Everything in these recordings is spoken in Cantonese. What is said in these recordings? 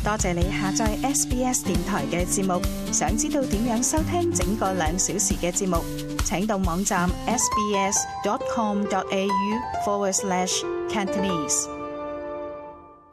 多謝你下載 SBS 電台嘅節目。想知道點樣收聽整個2小時嘅節目，請到網站 sbs.com.au/Cantonese。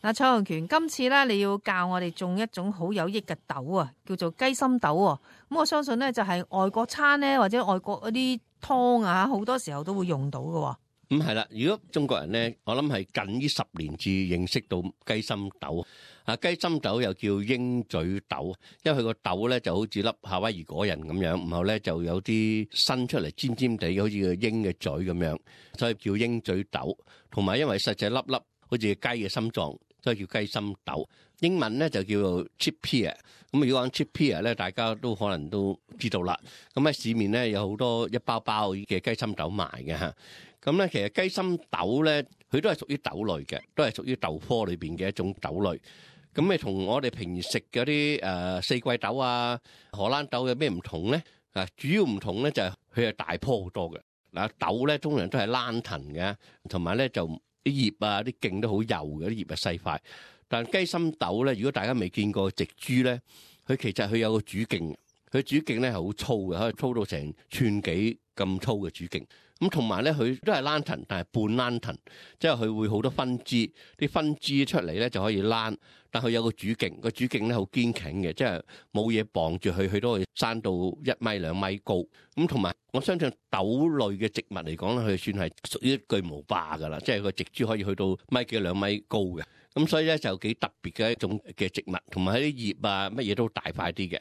嗱，蔡浩權，今次咧你要教我哋種一種好有益嘅豆啊，叫做雞心豆喎。咁我相信咧就係外國餐咧或者外國嗰啲湯啊，好多時候都會用到嘅。咁係啦，如果中國人咧，我諗係近呢10年至認識到雞心豆。啊，雞心豆又叫鷹嘴豆，因為佢個豆咧就好似粒夏威夷果仁咁樣，然後咧就有啲伸出嚟尖尖地，好似個鷹嘅嘴咁樣，所以叫鷹嘴豆。同埋因為實際粒粒好似雞嘅心臟，所以叫雞心豆。英文咧就叫做 chickpea。咁如果講 chickpea 咧，大家都可能都知道啦。咁喺市面咧有好多一包包嘅雞心豆賣嘅嚇。咁咧其實雞心豆咧，佢都係屬於豆類嘅，都係屬於豆科裏邊嘅一種豆類。咁咪同我哋平時食嗰啲四季豆啊、荷蘭豆有咩唔同咧？啊，主要唔同咧就係佢係大棵好多嘅。嗱，豆咧通常都係躝藤嘅，同埋咧就啲葉啊、啲莖都好幼嘅，啲葉係細塊。但雞心豆咧，如果大家未見過植株咧，佢其實佢有個主徑，佢主徑咧係好粗嘅，可以粗到成寸幾咁粗嘅主徑。咁同埋咧，佢都係躝藤，但係半躝藤，即係佢會好多分支，啲分支出嚟咧就可以躝，但佢有個主徑，個主徑咧好堅挺嘅，即係冇嘢綁住佢，佢都可以生到1米2米高。咁同埋我相信豆類嘅植物嚟講咧，佢算係屬於巨無霸㗎啦，即係個植株可以去到1米幾2米高嘅。咁所以咧就幾特別嘅一種嘅植物，同埋喺啲葉啊乜嘢都大塊啲嘅。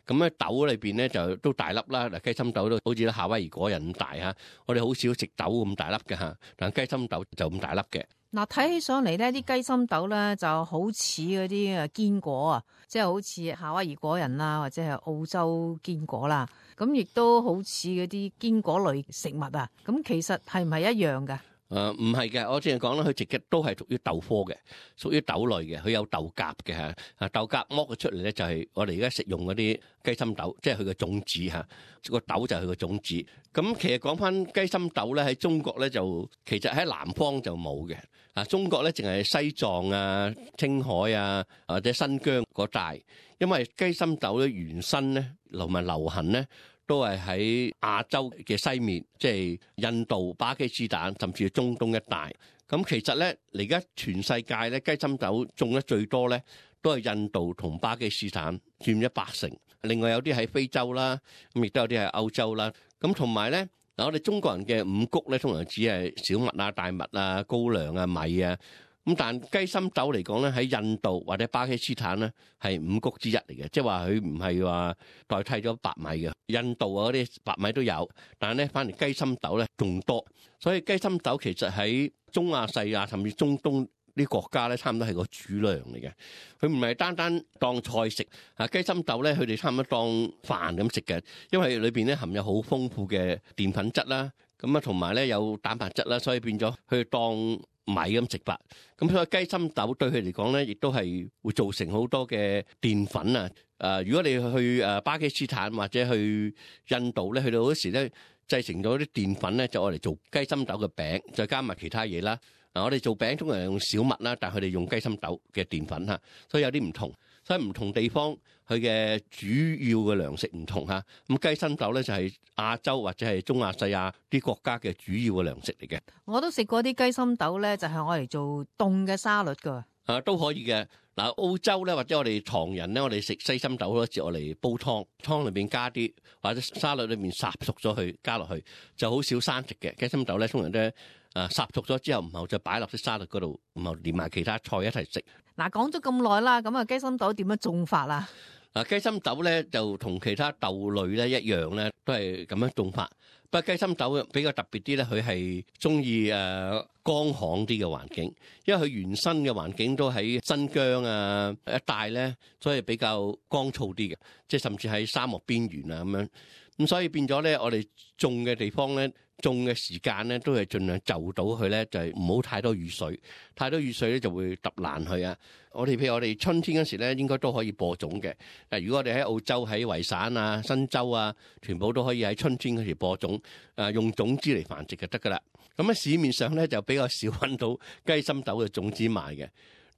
咁咧豆裏邊咧就都大粒啦，嗱雞心豆都好似夏威夷果仁咁大嚇，我哋好少食豆咁大粒嘅嚇，但雞心豆就咁大粒嘅。嗱，睇起上嚟呢啲雞心豆咧就好似嗰啲堅果啊，即係好似夏威夷果仁啦，或者係澳洲堅果啦，咁亦都好似嗰啲堅果類食物啊。咁其實係唔係一樣㗎？唔係嘅，我之前講啦，佢直嘅都係屬於豆科嘅，屬於豆類嘅，佢有豆莢嘅嚇。啊，豆莢剝咗出嚟咧，就係我哋而家食用嗰啲雞心豆，即係佢嘅種子嚇。個豆就係佢嘅種子。咁其實講翻雞心豆咧，喺中國咧就其實喺南方就冇嘅。啊，中國咧淨係西藏啊、青海啊或者新疆嗰帶，因為雞心豆咧原身咧同埋流行咧，都係喺亞洲嘅西面，即係印度、巴基斯坦，甚至係中東一帶。咁其實咧，而家全世界咧雞心豆種得最多咧，都係印度同巴基斯坦佔80%。另外有啲喺非洲啦，咁亦都有啲喺歐洲啦。咁同埋咧，嗱我哋中國人嘅五穀咧，通常只係小麥啊、大麥啊、高粱啊、米啊。咁但雞心豆嚟講咧，喺印度或者巴基斯坦咧係五穀之一嚟嘅，即係話佢唔係話代替咗白米嘅。印度啊嗰啲白米都有，但係咧反而雞心豆咧仲多。所以雞心豆其實喺中亞細亞甚至中東啲國家咧，差唔多係個主糧嚟嘅。佢唔係單單當菜食啊，雞心豆咧佢哋差唔多當飯咁食嘅，因為裏邊咧含有好豐富嘅澱粉質啦，咁啊同埋咧有蛋白質啦，所以變咗佢當米咁食法。咁所以雞心豆對佢嚟講咧，亦都係會造成好多嘅澱粉啊。如果你去巴基斯坦或者去印度咧，去到嗰時咧製成咗啲澱粉咧，就愛嚟做雞心豆嘅餅，再加埋其他嘢啦。我哋做餅通常用小麥啦，但係佢哋用雞心豆嘅澱粉嚇，所以有啲唔同。所以唔同地方佢嘅主要嘅糧食唔同嚇。咁雞心豆咧就係亞洲或者係中亞細亞啲國家嘅主要嘅糧食嚟嘅。我都食過啲雞心豆咧，就係我嚟做凍嘅沙律㗎。都可以嘅。嗱，澳洲咧或者我哋唐人咧，我哋食西心豆好多時我嚟煲湯，湯裏邊加啲或者沙律裏面烚熟咗佢加落去，就好少生食嘅雞心豆咧。通常都烚熟咗之後，唔後就擺落啲沙律嗰度，唔後連埋其他菜一齊食。嗱，講咗咁耐啦，咁啊雞心豆點樣種法啊？雞心豆咧就同其他豆類咧一樣咧，都係咁樣種法。不過雞心豆比較特別啲咧，佢係中意乾旱啲嘅環境，因為佢原生嘅環境都喺新疆啊一帶咧，所以比較乾燥啲嘅，即係甚至喺沙漠邊緣啊咁樣。咁所以變咗咧，我哋種嘅地方咧，種嘅時間咧，都係盡量就到佢咧，就係唔好太多雨水，太多雨水咧就會揼爛佢啊。譬如我哋春天嗰時咧，應該都可以播種嘅。如果我哋喺澳洲、喺維省啊、新州啊，全部都可以喺春天嗰時播種，用種子嚟繁殖就得噶啦。咁喺市面上咧就比較少揾到雞心豆嘅種子賣嘅。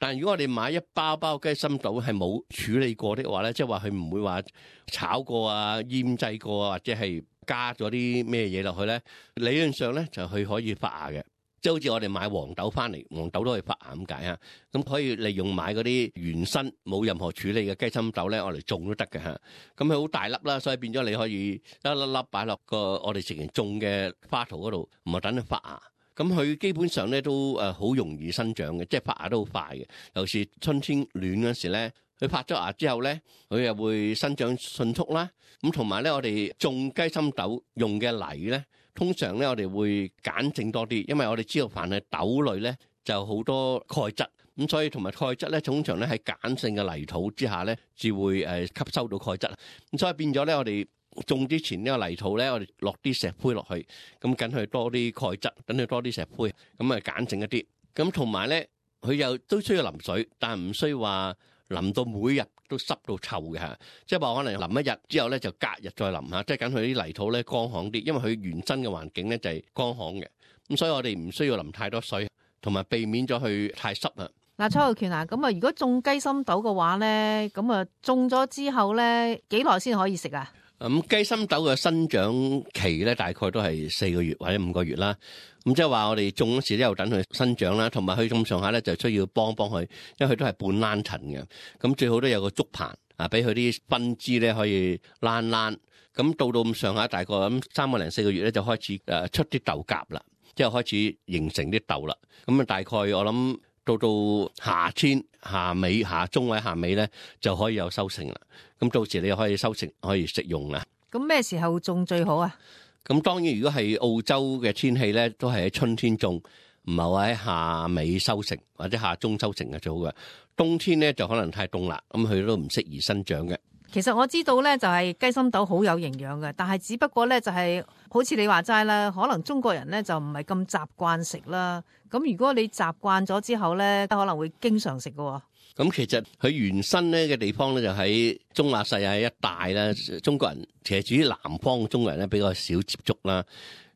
但係如果我哋買一包包雞心豆係冇處理過的話咧，即係話佢唔會話炒過啊、醃製過啊，或者係加咗啲咩嘢落去咧，理論上咧就佢可以發芽嘅。即係好似我哋買黃豆翻嚟，黃豆都可以發芽咁解嚇。咁可以利用買嗰啲原生冇任何處理嘅雞心豆咧，我嚟種都得嘅嚇。咁佢好大粒啦，所以變咗你可以一粒粒擺落個我哋直情種嘅花槽嗰度，唔係等佢發芽。咁佢基本上咧都好容易生長嘅，即係發芽都好快嘅。尤其是春天暖嗰時咧，佢發咗芽之後咧，佢又會生長迅速啦。咁同埋咧，我哋種雞心豆用嘅泥咧，通常咧我哋會鹼性多啲，因為我哋知道凡係豆類咧就好多鈣質，咁所以同埋鈣質咧通常咧喺鹼性嘅泥土之下咧，至會吸收到鈣質。咁所以變咗咧，我哋種之前呢個泥土咧，我哋落啲石灰落去，咁緊佢多啲鈣質，等佢多啲石灰，咁啊鹼性一啲。咁同埋咧，佢又都需要淋水，但係唔需要話淋到每日都濕到臭嘅嚇。即係話可能淋一日之後咧，就隔日再淋下，即係緊佢啲泥土咧乾旱啲，因為佢原生嘅環境咧就係乾旱嘅。咁所以我哋唔需要淋太多水，同埋避免咗佢太濕啊。嗱，蔡浩權啊，咁啊，如果種雞心豆嘅話咧，咁啊種咗之後咧，幾耐先可以食啊？咁雞心豆嘅生長期咧，大概都係4個月或者5個月啦。咁即係話我哋種嗰時咧，又等佢生長啦，同埋佢咁上下咧，就需要幫佢，因為佢都係半躝層嘅。咁最好都有個竹棚啊，俾佢啲分支咧可以躝。咁到咁上下，大概咁3個零4個月咧，就開始出啲豆莢啦，即係開始形成啲豆啦。咁啊，大概我諗到夏天夏中或者夏尾咧，就可以有收成啦。咁到時你可以收成，可以食用啦。咁咩時候種最好啊？咁當然，如果係澳洲嘅天氣咧，都係喺春天種，唔係話喺夏尾收成或者夏中收成嘅最好嘅。冬天咧就可能太凍啦，咁佢都唔適宜生長嘅。其實我知道咧，就係雞心豆好有營養嘅，但係只不過咧就係好似你話齋啦，可能中國人咧就唔係咁習慣食啦。咁如果你習慣咗之後咧，可能會經常食嘅。咁其實佢原生咧嘅地方咧就喺中亞細亞一帶啦，中國人其實至於南方嘅中國人咧比較少接觸啦。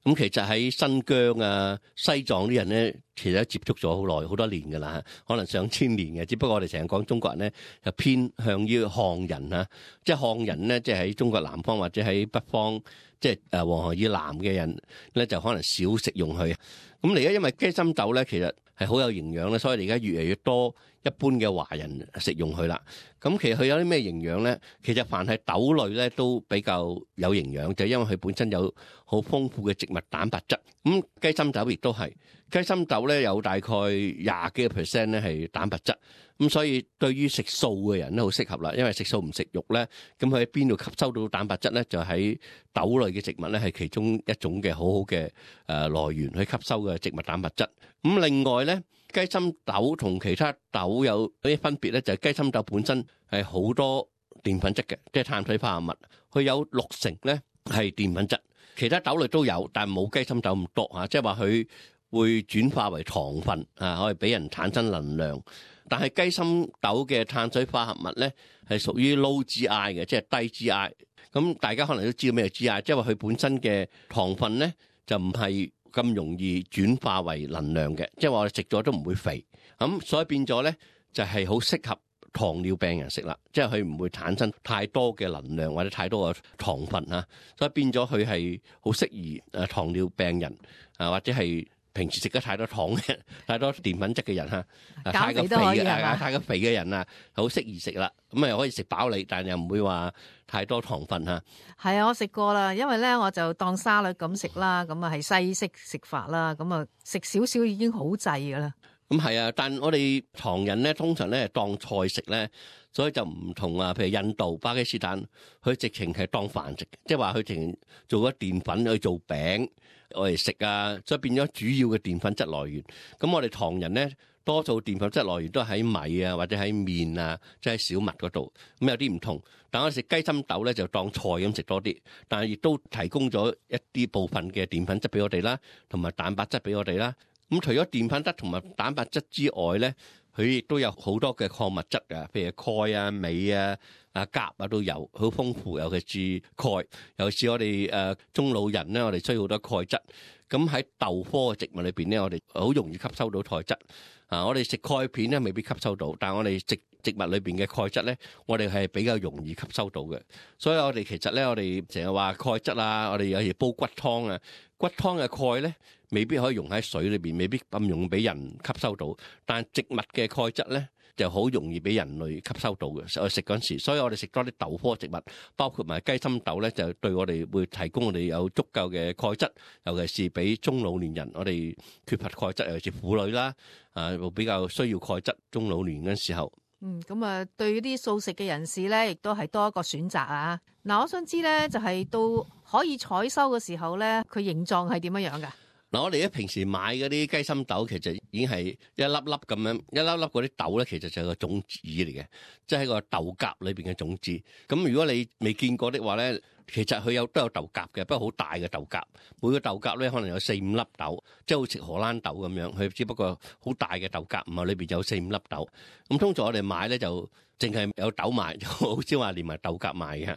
咁其實喺新疆啊、西藏啲人咧，其實都接觸咗好耐、好多年㗎啦，可能上千年嘅。只不過我哋成日講中國人咧，就偏向於漢人啊，即係漢人咧，即係喺中國南方或者喺北方，即係黃河以南嘅人咧，就可能少食用佢。咁而家因為雞心豆咧，其實係好有營養咧，所以而家越嚟越多一般嘅華人食用佢啦。咁其實佢有啲咩營養咧？其實凡係豆類咧都比較有營養，就係因為佢本身有好豐富嘅植物蛋白質。咁雞心豆亦都係，雞心豆咧有大概20幾個% 咧係蛋白質。咁所以對於食素嘅人都好適合啦，因為食素唔食肉咧，咁佢喺邊度吸收到蛋白質咧？就喺豆類嘅植物咧係其中一種嘅好好嘅來源去吸收嘅植物蛋白質。咁另外咧，雞心豆同其他豆有啲分別咧，就係雞心豆本身係好多澱粉質嘅，即係碳水化合物，佢有60%咧係澱粉質，其他豆類都有，但係冇雞心豆咁多嚇，即係話佢會轉化為糖分啊，可以俾人產生能量。但係雞心豆嘅碳水化合物咧係屬於 low GI 嘅，即係低 GI。咁大家可能都知道咩 GI，即係話佢本身嘅糖分咧就唔係咁容易轉化為能量嘅，即係話我哋食咗都唔會肥。咁所以變咗咧就係好適合糖尿病人食啦，即係佢唔會產生太多嘅能量或者太多嘅糖分啊，所以變咗佢係好適宜糖尿病人啊，或者係平時食得太多糖嘅、太多澱粉質嘅人嚇，太過肥嘅、太過肥嘅人啊，好適宜食啦。咁啊又可以食飽你，但係又唔會話太多糖分嚇。係啊，我食過啦，因為咧我就當沙律咁食啦，咁啊係西式食法啦，咁啊食少少已經好滯噶啦。咁係啊，但我哋唐人咧通常咧係當菜食咧，所以就唔同啊。譬如印度、巴基斯坦，佢直情係當飯食，即係話佢直情做咗澱粉去做餅我哋食啊，所以變咗主要嘅澱粉質來源。咁我哋唐人咧多數澱粉質來源都喺米啊，或者喺麵啊，即係小麥嗰度。咁有啲唔同，但我食雞心豆咧就當菜咁食多啲，但係亦都提供咗一啲部分嘅澱粉質俾我哋啦，同埋蛋白質俾我哋啦。咁除咗澱粉質同埋蛋白質之外咧，佢亦都有好多嘅礦物質啊，譬如鈣啊、鎂啊、鉀啊都有，好豐富。尤其是鈣，尤其是我哋中老人咧，我哋需要好多鈣質。咁喺豆科嘅植物裏邊咧，我哋好容易吸收到鈣質。我哋食鈣片咧未必吸收到，但係我哋植物裏邊嘅鈣質咧，我哋係比較容易吸收到嘅。所以我哋其實咧，我哋成日話鈣質啊，我哋有時煲骨湯啊，骨湯嘅鈣咧未必可以溶喺水裏邊，未必咁容易俾人吸收到。但係植物嘅鈣質咧就好容易俾人類吸收到嘅。我食嗰陣時，所以我哋食多啲豆科植物，包括埋雞心豆咧，就對我哋會提供我哋有足夠嘅鈣質，尤其是俾中老年人，我哋缺乏鈣質，尤其是婦女啦，會比較需要鈣質，中老年嗰陣時候。咁啊，對啲素食嘅人士咧，亦都係多一個選擇啊！嗱，我想知咧，就係到可以採收嘅時候咧，佢形狀係點樣樣噶？嗱，我哋咧平時買嗰啲雞心豆，其實已經係一粒粒咁樣，一粒粒嗰啲豆咧，其實就係個種子嚟嘅，即係個豆莢裏邊嘅種子。咁如果你未見過的話咧，其實佢都有豆莢嘅，不過好大嘅豆莢，每個豆莢咧可能有4-5粒豆，即係好似荷蘭豆咁樣，佢只不過好大嘅豆莢，唔係裏邊有4-5粒豆。咁通常我哋買咧就淨係有豆賣，就好少話連埋豆莢賣嘅。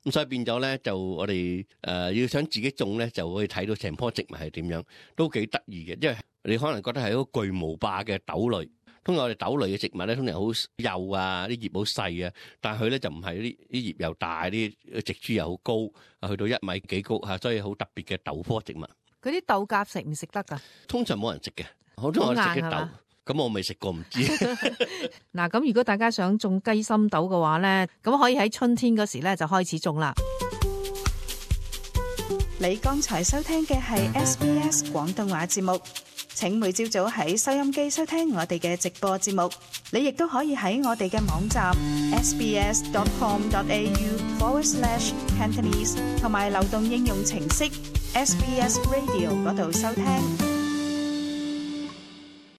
咁所以變咗咧，就我哋要想自己種咧，就可以睇到成棵植物係點樣，都幾得意嘅。因為你可能覺得係一個巨無霸嘅豆類。通常我哋豆類嘅植物咧，通常好幼啊，啲葉好細啊，但係佢咧就唔係，啲葉又大，啲植株又好高，去到1米幾高嚇，所以好特別嘅豆科植物。嗰啲豆莢食唔食得㗎？通常冇人食嘅，好多人食啲豆，咁我未食過唔知。嗱，咁如果大家想種雞心豆嘅話咧，咁可以喺春天嗰時咧就開始種啦。你剛才收聽嘅係 SBS 廣東話節目。請每朝早喺收音機收聽我哋嘅直播節目，你亦都可以喺我哋嘅網站 sbs.com.au/Cantonese 同埋流動應用程式 SBS Radio 嗰度收聽。